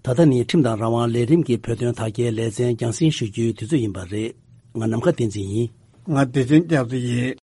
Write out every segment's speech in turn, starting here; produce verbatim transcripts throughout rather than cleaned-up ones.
ད་ལྟ་ནི་ཁྲིམས་དང་རང་དབང་ལས་རིམ་གྱི་བོད་དོན་དར་རྒྱས་ལེ་ཚན་རྒྱང་སྲིང་ཞུ་རྒྱུའི་དུས་ཚོད་ཡིན་པ་རེད། ང་ནམ་མཁའ་བསྟན་འཛིན་ཡིན། ང་བདེ་ཆེན་སྐྱབས་མགོན་ཡིན།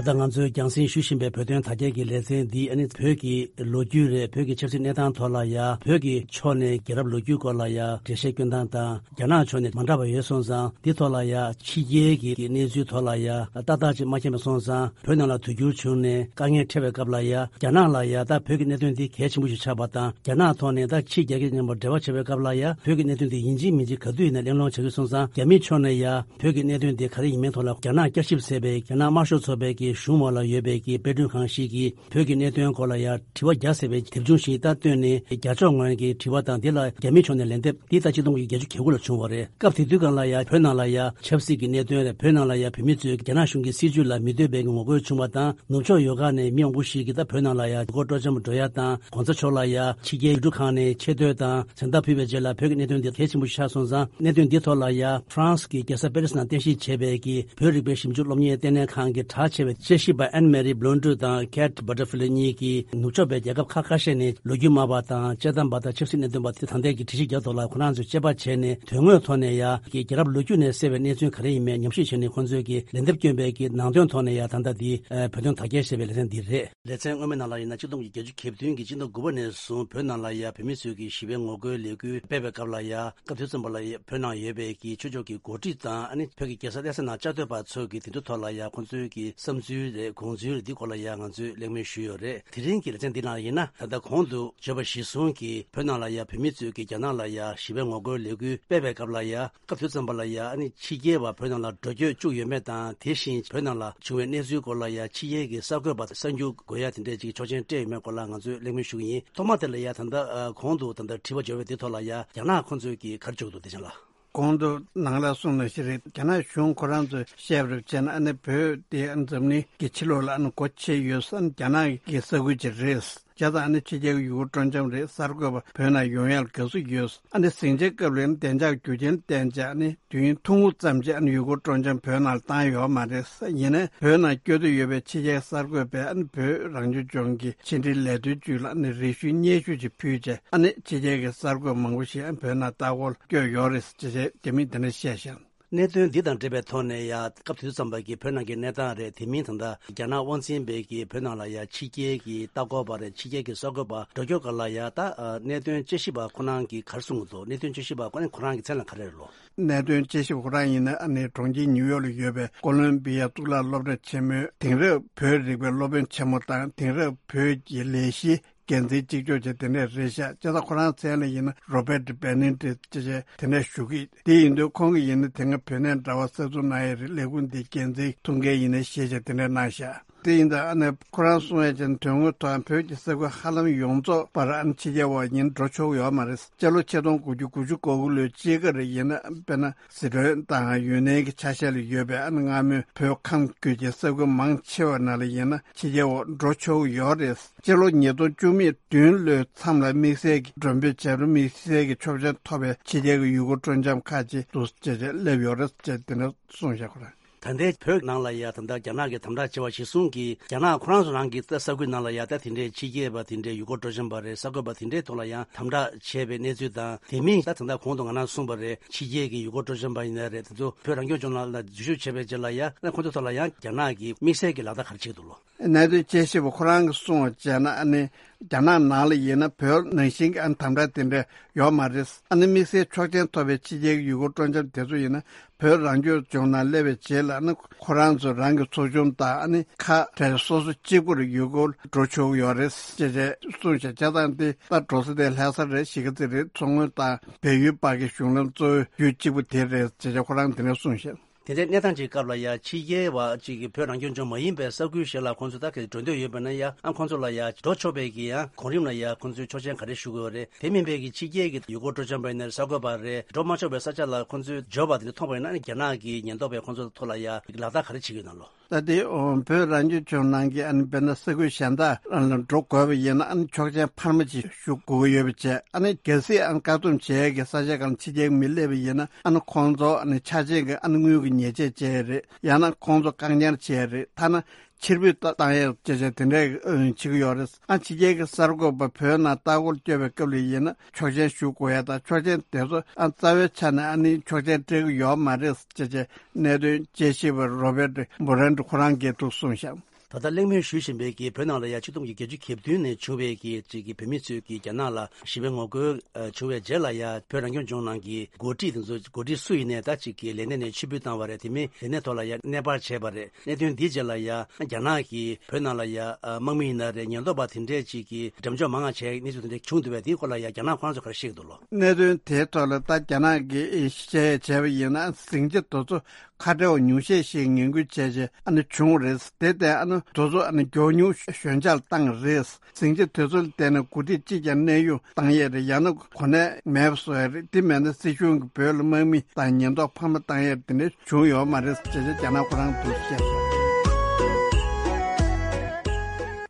ད་ལྟ་ང་ཚོས་རྒྱང་སྲིང་ཞུ་བཞིན་པའི་བོད་དོན་དར་རྒྱས་ཀྱི་ལེ་ཚན་འདི་ཨ་ནི་བོད་ཀྱི་ལོ་རྒྱུས་རེད། བོད་ཀྱི་ཆབ་སྲིད་གནས་སྟངས་ཐོག་ལ་ཡ། བོད་ཀྱི་ཕྱོགས་ནས་རྒྱལ་རབས་ལོ་རྒྱུས་སྐོར་ལ་ཡ་འགྲེལ་བཤད་སྐྱོན་སྟངས་དང་། རྒྱ་ནག་ཕྱོགས་ནས་མ་འདྲ་བ་ཡོད་སོང་ཙང་། འདི་ཐོག་ལ་ཡ་ཕྱི་རྒྱལ་གྱི་གནས་ཚུལ་ཐོག་ལ་ཡ་ཏག་ཏག་ཅིག་མ་མཁྱེན་པ་སོང་ཙང་། བོད་ནང་ལ་དུས་འགྱུར་བྱུང་ནས་དཀའ་ངལ་འཕྲད་པའི་སྐབས་ལ་ཡ། རྒྱ་ནག་ལ་ཡ་ད་བོད་ཀྱི་གནད་དོན་འདི་གལ་ཆེན་པོ་ཞིག་ཆགས་པ་དང་། རྒྱ་ནག་ཐོག་ནས་ད་ཕྱི་རྒྱལ་ཁབ་མཉམ་པོ་འབྲེལ་བ་བྱེད་པའི་སྐབས་ལ་ཡ། བོད་ཀྱི་གནད་དོན་འདི་ཡིན་གཅིག་མིན་གཅིག་ག་དུས་ཡིན་ན་གླེང་སློང་བྱ་གི་སོང་ཙང་། རྒྱ་མིའི་ཕྱོགས་ནས་ཡ་བོད་ཀྱི་གནད་དོན་འདི་ག་རེ་ཡིན་མིན་ཐོག་ལ། རྒྱ་ནག་བསྐྱར་ཞིབ་ཟེར་བའི་རྒྱ་ནག་དམར་ཤོག་ཚོགས་པའི་གི་གཞུང་འོག་ལ་ཡོད་པའི་གི་དཔེ་སྐྲུན་ཁང་ཞིག་གིས། བོད་ཀྱི་གནད་དོན་སྐོར་ལ་ཡང་དྲི་བ་བརྒྱ་ཟེར་བའི་དེབ་ཆུང་ཞིག་ད་བཏོན་ནས། རྒྱ་ཕྱོགས་ངོས་ཀྱི་དྲི་བ་དང་། དེ་ལ་རྒྱ་མིའི་ཕྱོགས་ནས་ལན་འདེབས་འདི་ད་ཆིག་སྟོང་དགུ་བརྒྱ་བརྒྱད་ཅུ་གྱ་དགུ་ལ་བྱུང་བ་རེད། སྐབས་དེ་དུས་སྒང་ལ་ཡང་བོད་ནང་ལ་ཡང་ཆབ་སྲིད་ཀྱི་གནད་དོན་རེད། བོད་ནང་ལ་ཡང་བོད་མི་ཚོས་རྒྱ་ནག་གཞུང་གི་སྲིད་བྱུས་ལ་མི་འདོད་པའི་ངོ་རྒོལ་བྱུང་བ་དང་། ནུབ་ཕྱོགས་ཡོལ་ག་ནས་མི་མང་པོ་ཞིག་གིས་ད་བོད་ནང་ལ་ཡང་ཡུལ་སྐོར་སྤྲོ་འཆམ་འགྲོ་ཡ་དང་། གོང་ས་མཆོག་ལ་ཡང་ཕྱི་རྒྱལ་ཡུལ་གྲུ་ཁག་ནས་ཆེ་བསྟོད་དང་། མཚན་རྟགས་ཕུལ་བའི་རྗེས་ལ་བོད་ཀྱི་གནད་དོན་འདི་གལ་ཆེན་པོ་ཞིག་ཆགས་སོང་ཙང་། གནད་དོན་འདི་ཐོག་ལ་ཡང་ཧྥ་རན་སི་གི་རྒྱལ་ས་པེ་རི་སི་ནང་རྟེན་གཞི་བྱས་པའི་གི་བོད་རིག་པའི་ཞིབ་འཇུག་སློབ་གཉེར་ལྟེ་གནས་ཁང་གི་གྲགས་ཆེ་བའི་དཔྱད་ཞིབ་པ་ཨན་མེ་རི་བྷི་ལོན་ཌུ་དང་ཁེ་ཊི་བྷ་ཊར་ཧྥི་ལི་གཉིས་ཀྱིས། ནུབ་ཕྱོགས་པའི་རྒྱལ་ཁབ་ཁག་ཁ་ཤས་ནས་ལོ་རྒྱུས་སྨྲ་བ་དང་དཔྱད་གཏམ་པ་དང་ཆབ་སྲིད་གནད་དོན་པ་དེ་ད་ལྟའི་གི་དྲི་གཞི་རྒྱག་ཐོག་ལ་ཁོ་རང་ཚོས་དཔྱད་པ་བྱས་ནས། དོན་དངོས་ཐོག་ནས་ཡ་གི་རྒྱལ་རབས་ལོ་རྒྱུས་ནས་གསལ་བའི་གནས་ཚུལ་ག་རེ་ཡིན་མིན་ཉམས་ཞིབ་བྱས་ནས། ཁོང་ཚོས་ཀྱི་ལན་འདེབས་བསྐྱོན་པའི་གི་ནང་དོན་ཐོག་ནས་ཡ་ད་ལྟ་འདི་བོད་དོན་དར་རྒྱས་ཞེས་པའི་ལེ་ཚན་འདི་རེད། ལེ་ཚན་སྔོན་མའི་ནང་ལ་ཡིན་ན། ཆིག་སྟོང་དགུ་བརྒྱ་བརྒྱད་ཅུ་གྱ་བདུན་གྱི་སྤྱི་ཟླ་དགུ་པ་ནས་བཟུང་བོད་ནང་ལ་ཡ་བོད་མི་ཚོས་ཀྱི་ཞི་བའི་ངོ་རྒོལ་ལས་འགུལ་སྤེལ་བའི་སྐབས་ལ་ཡ། སྐབས་དེ་ཙམ་པ་ལ་ཡ་བོད་ནང་ཡོད་པའི་གི་ཆོས་ཕྱོགས་ཀྱི་འགོ་ཁྲིད་དང་། ཨ་ནི་བོད་ཀྱི་རྒྱལ་ས་གནས་ས་ནང་བཅའ་སྡོད་པ་ཚོས་ཀྱི་དེ་ཚོ་ཐོག་ལ་ཡ་ཁོང་ཚོའི་གི་བསམ་ཚུལ་རེད། དགོངས་ཚུལ་རེད། འདི་སྐོར་ལ་ཡ་ང་ཚོས་གླེང་མོལ་ཞུས་ཡོད་རེད། དེ་རིང་གི་ལེ་ཚན་འདི་ནང་ཡིན་ན། ད་ལྟ་གོང་དུ་བརྗོད་པ་གཞིར་བཟུང་གིས་བོད་ནང་ལ་ཡ་བོད་མི་ཚོས་ཀྱི་རྒྱ་ནག་ལ་ཡ་ཞི་བའི་ངོ་རྒོལ་ལས་འགུལ་སྤེལ་བའི་སྐབས་ལ་ཡ། སྐབས་དེ་ཙམ་པ་ལ་ཡ་ཨ་ནི་ཕྱི་རྒྱལ་བ་བོད་ནང་ལ་འགྲོ་སྐྱོད་བཅུག་ཡོད་མེད་དང་། དེ་བཞིན་བོད་ནང་ལ་བྱུང་བའི་གནས་ཚུལ་སྐོར་ལ་ཡ་ཕྱི་རྒྱལ་གྱི་གསར་འགོད་པ་གསར་འགྱུར་འགོད་ཡ་དེ་འདྲས་ཅིག་ཆོག་མཆན་སྤྲད་ཡོད་མེད་སྐོར་ལ་ང་ཚོས་གླེང་མོལ་ཞུ་གི་ཡིན། ཐོག་མ་དེ་ལ་ཡ་ད་ལྟ་གོང་དུ་ད་ལྟ་དྲི་བ་བརྗོད་པའི་དེ་ཐོག་ལ་ཡ་རྒྱ་ནག་ཁོང་ཚོས་ཀྱིས་ག་རེ་བརྗོད་འདུག་བདེ་ཆེན་ལགས། གོང་དུ་ནང་ལ་གསུངས་ནང་བཞིན་རེད། རྒྱ་ནག་གཞུང་ཁོ་རང་ཚོས་བཤད་པར་བྱས་ན། ཨ་ནི་བོད་དེ་ཨ་ནི་འཛམ་གླིང་གི་ཕྱི་ལོགས་ལ་ཨ་ནི་སྒོ་ཕྱེ་ཡོད་ས་ནི་རྒྱ་ནག་གི་ས་ཁུལ་ཅིག་རེད། བྱས་ཙང་ཨ་ནི་ཕྱི་རྒྱལ་གྱི་ཡུལ་སྐོར་སྤྲོ་འཆམ་རེད། གསར་འགོད་པ་བོད་ནང་ཡོང་ཡག་དགའ་བསུ་ཡོད། ཨ་ནི་ཟིང་ཆའི་སྐབས་ལ་ཨ་ནི་བདེ་འཇགས་རྒྱུ་རྐྱེན་བརྟེན་བྱས། ཨ་ནི་དུས་ཡུན་ཐུང་ངུ་ཙམ་ཅིག་ཨ་ནི་ཡུལ་སྐོར་སྤྲོ་འཆམ་བོད་ནང་ལ་བཏང་ཡོད་མ་རེད། ཡིན་ནའི་བོད་ནང་སྐྱོད་འདོད་ཡོད་པའི་ཕྱི་རྒྱལ་གསར་འགོད་པས་ཨ་ནི་བོད་རང་སྐྱོང་ལྗོངས་ཀྱི་ཕྱི་འབྲེལ་ལས་དོན་ཅུས་ལ་ཨ་ནི་རེ་ཞུའི་སྙན་ཞུ་ཅིག་ཕུལ་རྗེས། ཨ་ནི་ཕྱི་རྒྱལ་གྱི་གསར་འགོད་མང་པོ་ཞིག་ཨ་ནི་བོད་ནང་ལྟ་སྐོར་སྐྱོད་ཡོད་རེད་ཅེས་རྒྱ་མིས་དེ་འདྲ་བཤད་བཞག་གནད་དོན་འདི་དང་འབྲེལ་བའི་ཐོག་ནས་ཡ། སྐབས་དེ་དུས་ཙམ་པ་གི་བོད་ནང་གི་གནས་སྟངས་རེད། དེ་མིན་ད་ལྟ་རྒྱ་ནག་དབང་འཛིན་པའི་གི་བོད་ནང་ལ་ཡ་ཕྱི་རྒྱལ་གྱི་ལྟ་སྐོར་པ་རེད། ཕྱི་རྒྱལ་གྱི་གསར་འགོད་པ་འགྲོ་སྐྱོད་སྐོར་ལ་ཡ། ད་གནད་དོན་དཔྱད་ཞིབ་པ་ཁོ་རང་གིས་ག་རེ་གསུང་གི་འདུག་གནད་དོན་དཔྱད་ཞིབ་པ་ཁོ་རང་གི་མཚན་ལ་ག་རེ་རེད་ལོ། གནད་དོན་དཔྱད་ཞིབ་ཁོ་རང་ཡིན་ན། ཨ་ནི་གྲོང་ཁྱེར་ནིའུ་ཡོག་ལ་ཡོད་པའི་ཀོ་ལོམ་བི་ཡ་གཙུག་ལག་སློབ་གྲྭ་ཆེན་མོའི་དེང་རབས་བོད་རིག་པའི་སློབ་དཔོན་ཆེན་མོ་དང་། དེང་རབས་བོད་ཀྱི་ལས་གཞི་འགན་འཛིན་གཅིག་ལྕོགས་ཅན་དེ་འདྲས་རེད་ཤག་བྱས་ཙང་ཁོ་རང་མཚན་ལ་ཡིན་ན་རོ་བེར་ཊི་བེ་ནེ་ཌིག་ཅེས་བྱས་དེ་འདྲས་ཞུ་གི། དེ་ཡིན་དུས་ཁོང་གིས་ཡིན་ན་དེ་སྔ་བོད་གནས་འདྲ་བ་གསར་འཛུགས་གནང་ཡས་རེད། ལས་ཁུངས་དེའི་འགན་འཛིན་ཐུགས་འགན་ཡིན་ནའི་ཞེས་བྱས་དེ་འདྲས་གནང་ཤག་དེ་ཡིན་དུས་ཨ་ནི་ཁོ་རང་གསུང་ཡས་ཅན་དོན་དངོས་ཐོག་བོད་ཀྱི་ས་ཁུལ་ཧ་ལམ་ཡོངས་རྫོགས་པར་ཨ་ནི་ཕྱི་རྒྱལ་བ་ཡིན་འགྲོ་ཆོག་གི་ཡོད་མ་རེད། སྤྱི་ལོ་ཆིག་སྟོང་དགུ་བརྒྱ་དགུ་བཅུ་གོ་དགུ་ལོའི་དཔྱིད་ཀ་རེད། ཡིན་ན་དཔེར་ན་སི་ཁྲོན་དང་ཡུན་ནན་གྱི་ཆ་ཤས་ལ་ཡོད་པའི་ཨ་ནི་སྔ་མོའི་བོད་ཁམས་ཁུལ་གྱི་ས་ཁུལ་མང་ཆེ་བ་ནང་ལ་ཡིན་ན་ཕྱི་རྒྱལ་བ་འགྲོ་ཆོག་གི་ཡོད་རེད། སྤྱི་ལོ་ཉིས་སྟོང་བཅུ་མེད་བདུན་ལོའི་མཚམས་ལ་དམིགས་བསལ་གྱི་མགྲོན་འབོད་བྱས་པ་རེད། དམིགས་བསལ་གྱི་ཆོག་མཆན་ཐོབ་པའི་ཕྱི་རྒྱལ་གྱི་ཡུལ་སྐོར་སྤྲོ་འཆམ་ཁག་ཅིག་འདུག་ཅེས་བྱས་སླེབས་ཡོད་རེད་ཅེས་དེ་འདྲ་གསུངས་བཞག་ཁོ་རང་། ད་ལྟའི་བོད་ནང་ལ་ཡ་ད་ལྟ་རྒྱ་ནག་གིས་དམ་དྲག་བྱས་པ་གཞིར་བཟུང་གིས། རྒྱ་ནག་ཁོ་རང་ཚོ་རང་གི་ས་ཁུལ་ནང་ལ་ཡ་ད་དེ་འདྲའི་ཕྱི་རྒྱལ་བ་དེ་འདྲའི་ཡུལ་སྐོར་སྤྲོ་འཆམ་པ་རེད། གསར་འགོད་པ་དེ་འདྲའི་ཐོག་ལ་ཡང་དམ་དྲག་བྱས་པའི་གནས་ཚུལ་དང་། དེ་མིན་ད་ད་ལྟ་གོང་དུ་ང་རང་གསུངས་པ་རེད། ཕྱི་རྒྱལ་གྱི་ཡུལ་སྐོར་སྤྲོ་འཆམ་པ་ཡིན་ན་རེད། དེ་ཚོ་བོད་རང་སྐྱོང་ལྗོངས་ནང་ལ་འཛུལ་ཞུགས་བྱས་པའི་རྗེས་ལ་ཡ་ཁོང་ཚོ་ཐོག་ལ་ཡང་རྒྱ་ནག་གིས་དམིགས་བསལ་གྱི་ལག་བསྟར་ག་རེ་བྱེད་ཀྱི་འདུག་ལོ། གནད་དོན་དཔྱད་ཞིབ་པ་ཁོ་རང་གིས་གསུངས་པ་བྱས་ན། ཨ་ནི་རྒྱ་ནག་ནང་ལ་ཡིན་ན་བོད་ནང་བཞིན་གྱི་ཨ་ནི་དམ་དྲག་དེ་འདྲ་ཡོད་མ་རེད། ཨ་ནི་དམིགས་བསལ་ཆོག་མཆན་ཐོབ་པའི་ཕྱི་རྒྱལ་གྱི་ཡུལ་སྐོར་སྤྲོ་འཆམ་དེ་ཚོ་ཡིན་ན་བོད་རང་སྐྱོང་ལྗོངས་ནང་སླེབས་པའི་རྗེས་ལ། ཨ་ནི་ཁོ་རང་ཚོ་རང་གི་ཚོགས་ཆུང་དང་། ཨ་ནི་ཁག་གྲས་སོ་སོ་གཅིག་པུར་ཡུལ་སྐོར་འགྲོ་ཆོག་གི་ཡོད་རེད་ཅེས་བྱས་གསུངས་ཤག་བྱས་ཙང་དེ་ད་འགྲོ་ས་དེ་ལྷ་ས་རེད། གཞིས་ཀ་རྩེ་རེད། མཚོ་སྔོན་དང་བལ་ཡུལ་བར་གྱི་གཞུང་ལམ་གཙོ་བོའི་ཡུལ་གཅིག་པུ་དེ་རེད་ཅེས་བྱས་ཁོ་རང་དེ་འདྲ་གསུངས་ཤག་དེ་འདྲའི་གནས་སྟངས་ཀྱི་སྐབས་ལ་ཡ། ཕྱི་རྒྱལ་བ་གཅིག་གིས་བོད་རང་སྐྱོང་ལྗོངས་མ་ཡིན་པའི་ས་ཁུལ་ཞིག་ལ་ཁོང་ཚོ་ད་ག་འགྲོ་འདོད་ཡོད་པ་ན་ཡ། ཨ་ཁོང་ཚོ་ལ་ཡ་འགྲོ་ཆོག་པའི་གི་ཡང་གོང་རིམ་ལ་ཡ་ཁོང་ཚོས་ཆོག་མཆན་ག་རེ་ཞུ་དགོས་རེད། དེ་མིན་པའི་གི་ཕྱི་རྒྱལ་གྱི་ཡུལ་སྐོར་སྤྲོ་འཆམ་པ་ཡིན་ན་རེད། གསར་འགོད་པ་རེད། འགྲོ་མ་ཆོག་པའི་ས་ཆ་ལ་ཁོང་ཚོས་འབྱོར་བ་དེ་འདྲ་མཐོང་པ་ཡིན་ན། ཨ་ནི་རྒྱ་ནག་གི་ཉེན་རྟོག་པས་ཁོང་ཚོ་ཐོག་ལ་ཡ་ལག་བསྟར་ག་རེ་བྱེད་ཀྱི་ཡོད་ན་ལོ། ད་དེ་བོད་རང་སྐྱོང་ལྗོངས་ནང་གི་ཨ་ནི་དཔེར་ན་ས་ཁུལ་གཞན་དག་ལ་འགྲོ་དགོས་པ་ཡིན་ན། ཨ་ནི་ཆོག་མཆན་འཕར་མ་ཅིག་ཞུ་དགོས་ཀྱི་ཡོད་པ་བྱས། ཨ་ནི་གལ་སྲིད་ཨ་ནི་བཀག་སྡོམ་བྱེད་ཡས་ཀྱི་ས་ཆ་སྒང་ལ་ཕྱི་རྒྱལ་གྱི་མི་སླེབས་པ་ཡིན་ན། ཨ་ནི་ཁོང་ཚོ་ཨ་ནི་ཆ་རྐྱེན་གྱི་ཨ་ནི་དངུལ་གྱི་ཉེས་ཆད་བཅད་ཡས་རེད། ཡང་ན་ཁོང་ཚོ་བཀག་ཉར་བྱེད་ཡས་རེད། ཐ་ན་ ཕྱིར་འབུད་བཏང་ཡས་བྱས་བྱས་དེ་འདྲའི་བྱེད་ཀྱི་ཡོད་རེད། ཨ་ཕྱི་རྒྱལ་གྱི་གསར་འགོད་པ་བོད་ནང་ལྟ་སྐོར་སྐྱོད་པའི་སྐབས་ལ་ཡིན་ན་ཆོག་མཆན་ཞུ་དགོས་ཡ་དང་ཆོག་མཆན་དེ་ཚོ་ཨ་རྩ་བའི་ཆ་ནས་ཨ་ནི་ཆོག་མཆན་སྤྲད་ཀྱི་ཡོད་མ་རེད་བྱས་བྱས་གནད་དོན་དཔྱད་ཞིབ་པ་རོ་བེར་ཏི་བྷོ་རན་ཏི་ཁོ་རང་གིས་འདུག་གསུངས་ཤག་ད་ལྟ་གླེང་མོལ་ཞུ་བཞིན་པའི་གི་བོད་ནང་ལ་ཡ་ཆིག་སྟོང་དགུ་བརྒྱ་བརྒྱད་ཅུ་གྱ་བདུན་ནས་བྱུང་བའི་གི་ཅིག་གི་བོད་མི་ཚོས་གི་རྒྱ་ནག་ལ་ཞི་བའི་ངོ་རྒོལ་བྱུང་བའི་རྗེས་ལ་ཡ་བོད་རང་སྐྱོང་ལྗོངས་ནང་གི་འགོ་ཁྲིད་དེ་ཚོ་འགོ་ཁྲིད་སུ་ཡིན་ནའི་ད་ཅིག་གི་ལས་གནས་ནས་ཕྱིར་འབུད་བཏང་བ་རེད། དེ་མིན་ལས་གནས་ཐོག་ལ་ཡ་གནས་སྤར་བྱས་པ་རེད། གནད་དོན་འདིའི་རྗེས་ལ་ཡ་རྒྱ་ནག་གིས་བོད་ནང་ལ་ཡ་དམག་མི་ཡིན་ན་རེད། ཉེན་རྟོག་པ་དེ་འདྲས་ཅིག་གི་འགྲེམས་འཇོག་མང་ང་བྱས་གནས་ཚུལ་དེ་འདྲས་བྱུང་འདུག་པས། དེའི་སྐོར་ལ་ཡ་རྒྱ་ནག་ཁོ་རང་ཚོ་ག་རེ་བཤད་ཀྱི་འདུག་ལོ། གནད་དོན་དེའི་ཐོག་ལ་ད་རྒྱ་ནག་གིས་བཤད་ཡས་བྱས་པ་ཡིན་ན་ཟིང་ཆ་དེ་ཚོ་ཁ་བྲལ་བ་ཉུང་ཤས་ཤིག་ངན་སྐུལ་བྱས་རྗེས་ཨ་ནི་བྱུང་བ་རེད། དེ་ལྟར་ཨ་ནི་དེ་ཚོ་ཨ་ནི་མགྱོགས་མྱུར་ཞོད་འཇགས་བཏང་རེད། ཟིང་ཆ་དེ་ཚོ་ལ་བརྟེན་ནས་འགོ་ཁྲིད་གཅིག་ཀྱང་གནས་དབྱུང་བཏང་ཡས་རེད། ཡང་ན་གོ་གནས་མེད་པ་བཟོ་ཡས་རེད། དེ་མེད་ན་སྲིད་གཞུང་གིས་བོད་ལ་དམག་མི་དང་ཉེན་རྟོག་འཕར་མ་བཏང་ཡས་དེ་འདྲ་བྱུང་ཡོད་མ་རེད་ཅེས་རྒྱ་ནག་ཁོ་རང་འདུག་བཤད་སོང་།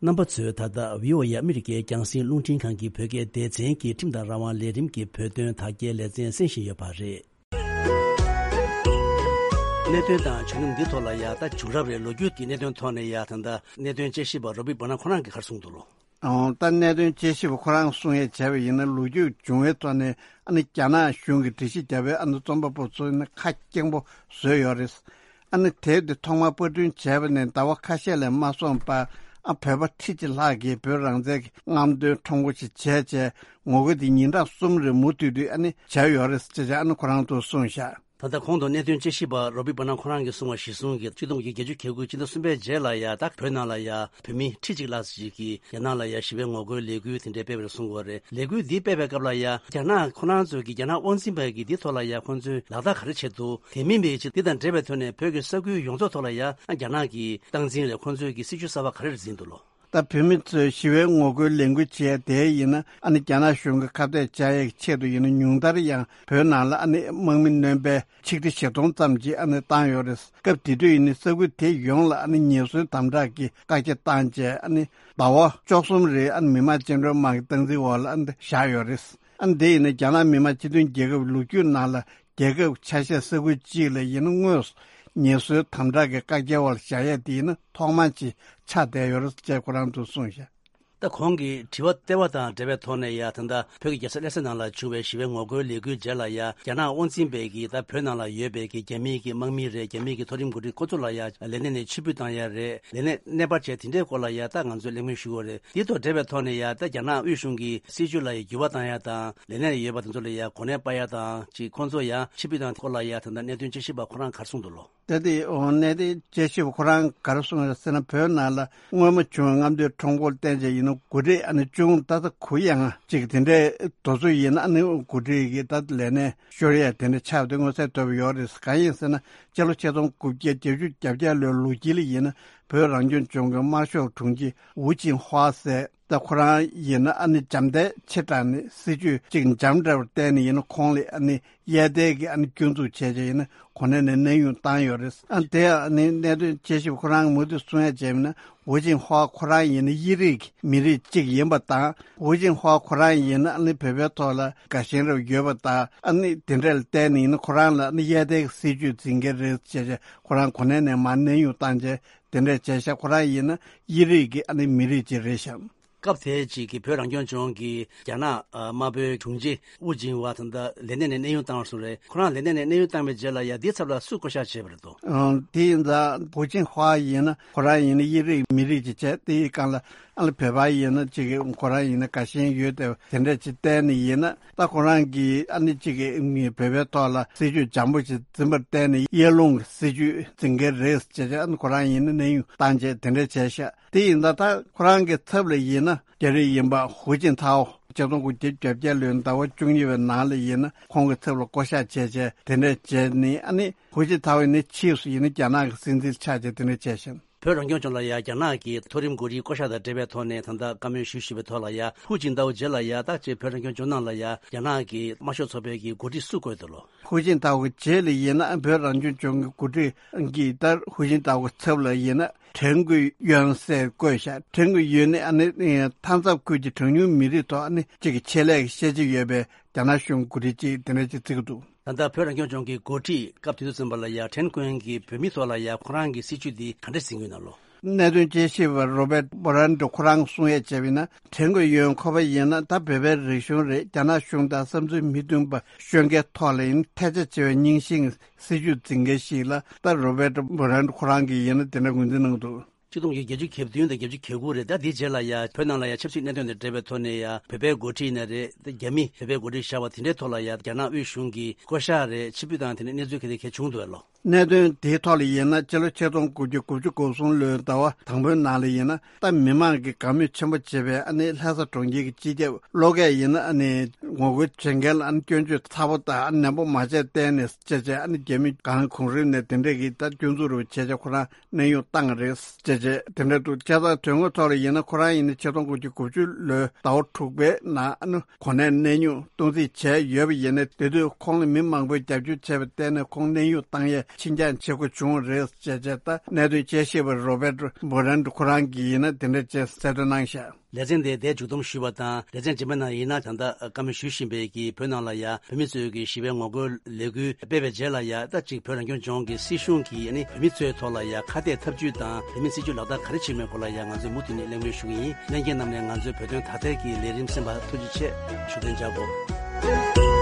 རྣམ་པ་ཚོས་ད་ལྟ་བྷི་ཨོ་ཨེ་ཨ་མི་རི་ཀའི་རྒྱང་སྲིང་རླུང་འཕྲིན་ཁང་གི་བོད་སྐད་སྡེ་ཚན་གྱི་ཁྲིམས་དང་རང་དབང་ལས་རིམ་གྱི་བོད་དོན་དག་སྐྱེལ་ལེ་ཚན་གསན་བཞིན་ཡོད་པ་རེད། གནད་དོན་དང་བྱུང་རིམ་འདི་ཐོག་ལ་ཡ་ད་བྱུང་རབས་རེད། ལོ་རྒྱུས་ཀྱི་གནད་དོན་ཐོག་ནས་ཡ་ད་ལྟ་གནད་དོན་དཔྱད་ཞིབ་པ་རོ་བྷི་བྷ་ན་ཁོ་རང་གིས་ག་རེ་གསུངས་འདུག་ལོ། ཨོ། ད་གནད་དོན་དཔྱད་ཞིབ་པ་ཁོ་རང་གསུང་ཡས་བྱས་པ་ཡིན་ན་ལོ་རྒྱུས་བྱུང་བའི་ཐོག་ནས་ཨ་ནི་རྒྱ་ནག་གཞུང་གིས་འགྲེལ་བཤད་བརྒྱབ་པའི་ཨ་ནི་རྩོམ་པ་པོ་ཚོ་ནི་ཁ་སྐྱེངས་པོ་བཟོས་ཡོད་རེད། ཨ་ནི་དེབ་འདི་ཐོག་མར་པར་སྐྲུན་བྱས་པ་ནས་ཟླ་བ་ཁ་ཤས་ལས་མ་སོང་བར་ཨ་བོད་པ་ཁྲི་གཅིག་ལྷག་གིས་བོད་རང་བཙན་གྱི་རྔམ་སྟོན་ཁྲོམ་སྐོར་ཞིག་བྱས་བྱས་ངོ་རྒོལ་འདི་ཉིན་གྲངས་གསུམ་རིང་མུ་མཐུད་དུ་ཨ་ནི་བྱས་ཡོད་རེད་ཅེས་ཨ་ནི་ཁོ་རང་ཚོས་གསུངས་ཤག་ད་ལྟ་གོང་དུ་གནད་དོན་དཔྱད་ཞིབ་པ་རོ་བྷི་བྷ་ན་ཁོ་རང་གིས་གསུངས་པ་གཞིར་བཟུང་གིས་ཆིག་སྟོང་དགུ་བརྒྱ་བརྒྱད་ཅུ་གྱ་དགུ་ཕྱི་ཟླ་གསུམ་པའི་རྗེས་ལ་ཡ་ད་བོད་ནང་ལ་ཡ་བོད་མི་ཁྲི་གཅིག་ལྷག་ཅིག་གིས་རྒྱ་ནག་ལ་ཡ་ཞི་བའི་ངོ་རྒོལ་ལས་འགུལ་དེ་འདྲའི་སྤེལ་བ་རེད་གསུང་གི་ཡོད་རེད། ལས་འགུལ་འདི་སྤེལ་བའི་སྐབས་ལ་ཡ་རྒྱ་ནག་ཁོ་རང་ཚོས་ཀྱི་རྒྱ་ནག་དབང་འཛིན་པ་གིས་འདི་ཐོག་ལ་ཡ་ཁོང་ཚོས་ལག་བསྟར་ག་རེ་བྱས་འདུག་དེ་མིན་པའི་ཆེད་འདི་དང་འབྲེལ་བའི་ཐོག་ནས་བོད་ཀྱི་ས་ཁུལ་ཡོངས་རྫོགས་ཐོག་ལ་ཡ་རྒྱ་ནག་གི་སྟངས་འཛིན་རེད། ཁོང་ཚོས་ཀྱི་སྲིད་ཇུས་གསར་པ་ག་རེ་རེད་འཛིན་འདུག་ལོ། ད་བོད་མི་ཚོས་ཞི་བའི་ངོ་རྒོལ་ལས་འགུལ་བྱས་དེ་ཡིན་ན་ཨ་ནི་རྒྱ་ནག་གཞུང་གི་ཁ་གཏད་བཅག་ཡས་ཀྱི་ཆེད་དུ་ཡིན་ན་ཉུང་མཐར་ཡང་བོད་ནང་ལ་ཨ་ནི་དམག་མི་སྣོན་པའི་ཆིག་ཁྲི་བཞི་སྟོང་ཙམ་ཅིག་ཨ་ནི་བཏང་ཡོད་རེད། སྐབས་དེ་དུས་ཡིན་ན་ས་ཁུལ་དེ་ཡོངས་ལ་ཨ་ནི་ཉེན་ཟོན་དམ་དྲག་གི་བཀག་རྒྱ་བཏང་རྗེས་ཨ་ནི་ཟླ་བ་བཅུ་གསུམ་རིང་ཨ་ནི་མི་དམངས་བཅིངས་འགྲོལ་དམག་གི་སྟངས་འཛིན་འོག་ལ་ཨ་ནི་བཞག་ཡོད་རེད། ཨ་ནི་དེ་ཡིན་ན་རྒྱ་ནག་མི་དམངས་སྤྱི་མཐུན་རྒྱལ་ཁབ་ལོ་རྒྱུས་ནང་ལ་རྒྱལ་ཁབ་ཆ་ཤས་ས་ཁུལ་གཅིག་ལ་ཡིན་ན་དངོས་སུ་ཉེན་ཟོན་དམ་དྲག་གི་བཀག་རྒྱའི་འོག་ལ་བཞག་ཡས་དེ་ཡིན་ན་ཐོག་མ་ཅིག་ཆགས་བསྡད་ཡོད་རེད་ཅེས་ཁོ་རང་ཚོས་གསུངས་ཤག་ད་གོང་གི་དྲི་བ་ལྟེ་བ་དང་འབྲེལ་བའི་ཐོག་ནས་ཡ་ད་ལྟ་བོད་ཀྱི་རྒྱལ་ས་ལྷ་ས་ནང་ལ་བྱུང་བའི་ཞི་བའི་ངོ་རྒོལ་ལས་འགུལ་རྗེས་ལ་ཡ་རྒྱ་ནག་དབང་འཛིན་པས་ཀྱིས་ད་བོད་ནང་ལ་ཡོད་པའི་ཀྱི་རྒྱ་མིའི་ཀྱི་དམག་མི་རེད། རྒྱ་མིའི་ཀྱི་མཐོ་རིམ་འགོ་ཁྲིད་ཁོ་ཚོ་ལ་ཡ་ལས་གནས་ནས་ཕྱིར་འབུད་བཏང་ཡ་རེད། ལས་གནས་གནས་སྤར་བྱས་དེ་འདྲའི་སྐོར་ལ་ཡ་ད་ང་ཚོས་གླེང་མོལ་ཞུ་དགོས་རེད། དེ་དང་འབྲེལ་བའི་ཐོག་ནས་ཡ་ད་རྒྱ་ནག་དབུས་གཞུང་གི་སྲིད་ཇུས་ལ་ཡ་འགྱུར་བ་བཏང་ཡ་དང་ལས་གནས་ཡོད་པ་དེ་ཚོ་ལ་ཡ་གོ་གནས་སྤར་ཡ་དང་ཅིག་ཁོང་ཚོ་ཡ་ཕྱིར་འབུད་བཏང་སྐོར་ལ་ཡ་ད་ལྟ་གནད་དོན་དཔྱད་ཞིབ་པ་ཁོ་རང་ག་རེ་གསུངས་འདུག་ལོ། ད་དེ་འོ་གནད་དོན་དཔྱད་ཞིབ་ཁོ་རང་ག་རེ་གསུངས་ཡོད་ཟེར་ན་བོད་ནང་ལ་སྔོན་མ་བྱུང་བའི་རྔམ་སྟོན་ཁྲོམ་སྐོར་བསྟན་བྱས་ཡིན་ན་འགོ་ཁྲིད་ཨ་ནི་ཅུང་ད་ལྟ་གུ་ཡངས་ཅིག་དེ་འདྲའི་དེ་ཚོ་ཡིན་ན་ཨ་ནི་འགོ་ཁྲིད་ཀྱི་ད་ལས་གནས་ཤོར་ཡས་དེ་འདྲ་ཆགས་དུས་མངོན་གསལ་དོད་པོ་ཡོད་རེད། གང་ཡིན་ཟེར་ན་སྤྱི་ལོ་ཆིག་སྟོང་དགུ་བརྒྱ་བརྒྱད་ཅུ་གྱ་བརྒྱད་ལོའི་ལོ་དཀྱིལ་ལ་ཡིན་ན་བོད་རང་སྐྱོང་ལྗོངས་ཀྱི་དམར་ཤོག་དྲུང་ཆེ་ཝུ་ཅིན་ཧྭ་ཟེར། ད་ཁོ་རང་ཡིན་ན་ཨ་ནི་འཇམ་ཐལ་ཆེ་དྲགས་ནས་སྲིད་ཇུས་གཅིག་འཇམ་འདྲ་བར་བརྟེན་ནས་ཡིན་ན་ཁོང་ལ་ཨ་ནི་གཡས་ལྡན་གྱི་ཨ་ནི་སྐྱོན་འཛུགས་བྱས་བྱས་ཡིན་ན་གོ་གནས་ནས་གནས་དབྱུང་བཏང་ཡོད་རེད། ཨ་དེ་ཨ་ནི་གནད་དོན་དཔྱད་ཞིབ་ཁོ་རང་མུ་མཐུད་གསུང་ཡ་བྱས་ན་ཝུ་ཅིན་ཧྭ་ཁོ་རང་ཡིན་ན་དབྱིས་རིགས་ཀྱི་མི་རིགས་གཅིག་ཡིན་པ་དང་ཝུ་ཅིན་ཧྭ་ཁོ་རང་ཡིན་ན་ཨ་ནི་བོད་པའི་ཐོག་ལ་དགའ་ཞེན་རབ་ཡོད་པ་དང་ཨ་ནི་དེ་འདྲ་ལ་བརྟེན་ནས་ཡིན་ན་ཁོ་རང་ལ་ཨ་ནི་གཡས་ལྡན་གྱི་སྲིད་ཇུས་འཛིན་གྱི་རེད་ཅེས་བྱས་ཁོ་རང་གོ་གནས་ནས་མར་གནས་དབྱུང་བཏང་རྗེས། དེ་འདྲས་བྱས་ཤག་ཁོ་རང་ཡིན་ན་དབྱིས་རིགས་ཀྱི་ཨ་ནི་མི་རིགས་ཅིག་རེད་ཤག་སྐབས་དེའི་ཅིག་གི་བོད་རང་སྐྱོང་ལྗོངས་ཀྱི་རྒྱ་ནག་ཨ་དམར་པོའི་དྲུང་ཆེ་ཝུ་ཅིན་ཧྭ་ད་ལྟ་ལས་གནས་ནས་གནས་དབྱུང་བཏང་བ་སོང་རེད། ཁོ་རང་ལས་གནས་ནས་གནས་དབྱུང་བཏང་བའི་རྗེས་ལ་ཡ་འདིའི་ཚབ་ལ་སུས་བསྐོ་བཞག་བྱས་པ་རེད་དོ། ཨང་། དེ་ཡིན་ཙང་ཝུ་ཅིན་ཧྭ་ཡིན་ན་ཁོ་རང་ཡིན་ན་དབྱིས་རིགས་མི་རིགས་ཅིག་བྱས་དེའི་སྒང་ལ་ཨ་ནི་བོད་པ་ཡིན་ན་ཅིག་ཁོ་རང་ཡིན་ན་དགའ་ཞེན་ཡོད་དེ་དེ་འདྲས་ཅིག་བསྟན་ནས་ཡིན་ན་ད་ཁོ་རང་གིས་ཨ་ནི་ཅིག་བོད་པའི་ཐོག་ལ་སྲིད་ཇུས་འཇམ་པོ་ཅིག་འཛིན་པར་བརྟེན་ནས་གཡས་ལྷུང་གི་སྲིད་ཇུས་འཛིན་གྱི་རེད་ཅེས་བྱས་ཨ་ནི་ཁོ་རང་ཡིན་ན་གནས་དབྱུང་བཏང་བྱས་དེ་འདྲས་བྱས་ཤག་དེ་ཡིན་ད་ལྟ་ཁོ་རང་གི་ཚབ་ལ་ཡིན་ན་རྒྱ་རིགས་ཡིན་པ་ཧུའུ་ཅིན་ཐའོ་ཆིག་སྟོང་དགུ་བརྒྱ་བརྒྱད་ཅུ་གྱ་བརྒྱད་ལོའི་ཟླ་བ་བཅུ་གཉིས་པའི་ནང་ལ་ཡིན་ན་ཁོང་གི་ཚབ་ལ་བསྐོ་བཞག་བྱས་བྱས་དེ་འདྲས་བྱས་ནས་ཨ་ནི་ཧུའུ་ཅིན་ཐའོ་ཡིན་ན་ཕྱིས་སུ་ཡིན་ན་རྒྱ་ནག་གི་སྲིད་འཛིན་ཆགས་བྱས་དེ་འདྲས་བྱས་ཤིང་། བོད་རང་སྐྱོང་ལྗོངས་ལ་ཡ་རྒྱ་ནག་གི་མཐོ་རིམ་འགོ་ཁྲིད་བསྐོ་བཞག་དང་འབྲེལ་བའི་ཐོག་ནས་ད་ལྟ་བཀའ་མོལ་ཞུས་ཞུས་པའི་ཐོག་ལ་ཡ་ཧུའུ་ཅིན་ཐའོ་རྗེས་ལ་ཡ་ད་ཅེས་བོད་རང་སྐྱོང་ལྗོངས་ནང་ལ་ཡ་རྒྱ་ནག་གི་དམར་ཤོག་ཚོགས་པའི་གི་འགོ་ཁྲིད་སུ་བསྐོས་འདུག་ལོ། ཧུའུ་ཅིན་ཐའོ་གི་རྗེས་ལ་ཡིན་ན་བོད་རང་སྐྱོང་ལྗོངས་ཀྱི་འགོ་ཁྲིད་ཀྱིས་ད་ཧུའུ་ཅིན་ཐའོ་གི་ཚབ་ལ་ཡིན་ན་ཁྲེན་ཀུའེ་ཡོན་ཟེར་བསྐོས་ཤག་ཁྲེན་ཀུའེ་ཡོན་ནི་ཨ་ནི་མཐའ་མཚམས་ཁུལ་གྱི་གྲངས་ཉུང་མི་རིགས་ཐོག་ཨ་ནི་གཅིག་གི་ཆེད་ལས་ཀྱི་ཤེས་བྱ་ཡོད་པའི་རྒྱ་ནག་གཞུང་འགོ་ཁྲིད་ཅིག་དེ་འདྲ་ཅིག་བརྩི་གི་འདུག་ད་ལྟ་བོད་རང་སྐྱོང་ལྗོངས་ཀྱི་འགོ་ཁྲིད་སྐབས་དེ་དུས་ཙམ་པ་ལ་ཡ་ཁྲེན་ཀུའེ་ཡོན་གྱིས་བོད་མི་ཐོག་ལ་ཡ་ཁོ་རང་གི་སྲིད་བྱུས་འདི་ག་འདྲ་ཟིན་གྱི་ཡོད་ན་ལོ། གནད་དོན་དཔྱད་ཞིབ་པ་རོ་བེད་བྷོ་རན་ཏོ་ཁོ་རང་གསུང་ཡས་བྱས་པ་ཡིན་ན། དྲན་གྱི་ཡོད། ཁོ་པ་ཡིན་ན་ད་བོད་པའི་རིག་གཞུང་རེད། རྒྱ་ནག་གཞུང་དང་བསམ་ཚུལ་མི་མཐུན་པ་ཤོད་མཁན་ཐོག་ལ་ཡིན་ཐལ་ཆ་ཆེ་བའི་རྙིང་ཤིང་སྲིད་ཇུས་འཛིན་མཁན་ཞིག་ལ། ད་རོ་བེད་བྷོ་རན་ཁོ་རང་གིས་ཡིན་ན་དེ་འདྲ་ངོས་འཛིན་གནང་འདུག། ཆིག་སྟོང་དགུ་བརྒྱ་བརྒྱད་ཅུ་གྱ་བདུན་དང་བརྒྱད་ཅུ་གྱ་དགུ་རེད། ད་དེའི་རྗེས་ལ་ཡ་བོད་ནང་ལ་ཡ་ཆབ་སྲིད་གནད་དོན་དང་འབྲེལ་བའི་ཐོག་ནས་ཡ་བོད་པའི་འགོ་ཁྲིད་ཡིན་ན་རེད། ད་རྒྱ་མི་བོད་པའི་འགོ་ཁྲིད་བཞག་པ་དེ་འདྲའི་ཐོག་ལ་ཡ་རྒྱ་ནག་དབུས་གཞུང་གིས་བསྐོ་བཞག་རེད། ཕྱིར་འབུད་དང་དེ་འདྲའི་གནས་ཚུལ་ག་དེ་ག་བྱུང་འདུག་ལོ། གནད་དོན་དེའི་ཐོག་ལ་ཡིན་ན། སྤྱི་ལོ་ཆིག་སྟོང་དགུ་བརྒྱ་དགུ་བཅུ་གོ་གསུམ་ལོའི་ཟླ་བ་དང་པོའི་ནང་ལ་ཡིན་ན། ད་མི་མང་གིས་དགའ་མོས་ཆེན་པོ་བྱེད་པའི་ཨ་ནི་ལྷ་ས་གྲོང་ཁྱེར་གྱི་སྤྱི་ཁྱབ་བློ་འགེལ་ཡིན་ན། ཨ་ནི་ངོ་རྒོལ་བྱེད་མཁན་ལ་ཨ་ནི་སྐྱོན་བརྗོད་ཚ་པོ་དང་ཨ་ནི་ནན་པོ་མ་བྱས་བསྡད་ནས་བྱས་བྱས། ཨ་ནི་རྒྱ་མི་གང་གོང་རིམ་ནས་དེ་འདྲས་ཀྱིས་ད་སྐྱོན་འཛུགས་རུ་བྱས་བྱས་ཁོ་རང་གནས་དབྱུང་བཏང་རེད་ཅེས་བྱས་དེ་འདྲ་འདུག། བྱས་ཙང་དོན་དངོས་ཐོག་ལ་ཡིན་ན། ཁོ་རང་ཡིན་ན་ཆིག་སྟོང་དགུ་བརྒྱ་དགུ་བཅུ་ལོའི་ཟླ་བ་དྲུག་པའི་ནང་ཨ་ནི་གོ་གནས་གནས་དབྱུང་གཏོང་རྩིས་བྱས་ཡོད་པ་ཡིན་ན། དེ་དུས་ཁོང་ལ་མི་མང་པོས་རྒྱབ་སྐྱོར་བྱས་པར་བརྟེན་ནས་ཁོང་གནས་དབྱུང་བཏང་ཡས་ཕྱིར་འགྱངས་བྱེད་དགོས་བྱུང་བ་རེད་ཅེས་བྱས། ད་གནད་དོན་དཔྱད་ཞིབ་པ་རོ་བེད་བྷོ་རན་ཁོ་རང་གིས་ཡིན་ན་དེ་འདྲ་ཅེས་གསལ་སྟོན་གནང་བཞག། ལེ་ཚན་དེ་འདིར་མཇུག་བསྡོམས་ཞུས་པ་དང་། ལེ་ཚན་རྗེས་མའི་ནང་ཡིན་ན། ད་ལྟ་བཀའ་མོལ་ཞུ་བཞིན་པའི་གི་བོད་ནང་ལ་ཡ་བོད་མི་ཚོས་ཀྱི་ཞི་བའི་ངོ་རྒོལ་ལས་འགུལ་སྤེལ་བའི་རྗེས་ལ་ཡ། ད་ཅིག་བོད་རང་སྐྱོང་ལྗོངས་ཀྱི་སྲིད་གཞུང་གིས་ཨ་ནི་བོད་མི་ཚོའི་ཐོག་ལ་ཡ་ཁ་གཏད་ཐབས་ཇུས་དང་། བོད་མིའི་སྲིད་ཇུས་ལག་བསྟར་ག་རེ་བྱེད་མིན་སྐོར་ལ་ཡ་ང་ཚོས་མུ་མཐུད་ནས་གླེང་མོལ་ཞུ་གི་ཡིན། ལྷན་རྒྱས་རྣམས་ནས་ང་ཚོའི་བོད་དོན་དག་ཐེར་གྱི་ལས་རིམ་གསན་པར་ཐུགས་རྗེ་ཆེ། ཞུ་དོན་བྱ་དགོས།